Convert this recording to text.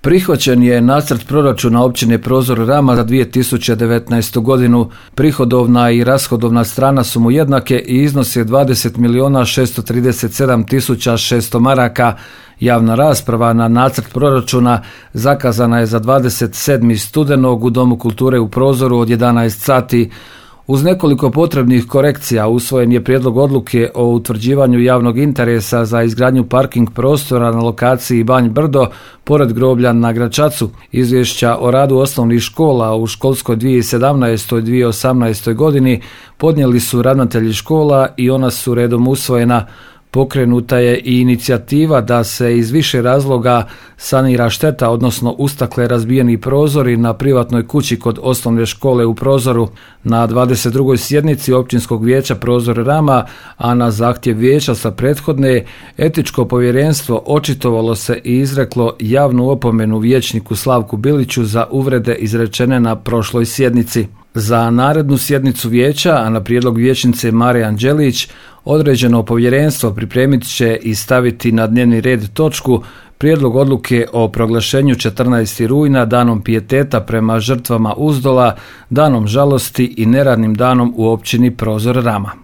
Prihvaćen je nacrt proračuna općine Prozor Rama za 2019. godinu. Prihodovna i rashodovna strana su mu jednake i iznose 20.637.600 maraka. Javna rasprava na nacrt proračuna zakazana je za 27. studenog u Domu kulture u Prozoru od 11 sati. Uz nekoliko potrebnih korekcija usvojen je prijedlog odluke o utvrđivanju javnog interesa za izgradnju parking prostora na lokaciji Banj Brdo, pored groblja na Gračacu. Izvješća o radu osnovnih škola u školskoj 2017. i 2018. godini podnijeli su ravnatelji škola i ona su redom usvojena. Pokrenuta je i inicijativa da se iz više razloga sanira šteta, odnosno ustakle razbijeni prozori na privatnoj kući kod osnovne škole u Prozoru. Na 22. sjednici Općinskog vijeća Prozor Rama, a na zahtjev vijeća sa prethodne, etičko povjerenstvo očitovalo se i izreklo javnu opomenu vijećniku Slavku Biliću za uvrede izrečene na prošloj sjednici. Za narednu sjednicu vijeća, a na prijedlog vijećnice Marije Anđelić, određeno povjerenstvo pripremit će i staviti na dnevni red točku prijedlog odluke o proglašenju 14. rujna danom pijeteta prema žrtvama Uzdola, danom žalosti i neradnim danom u općini Prozor Rama.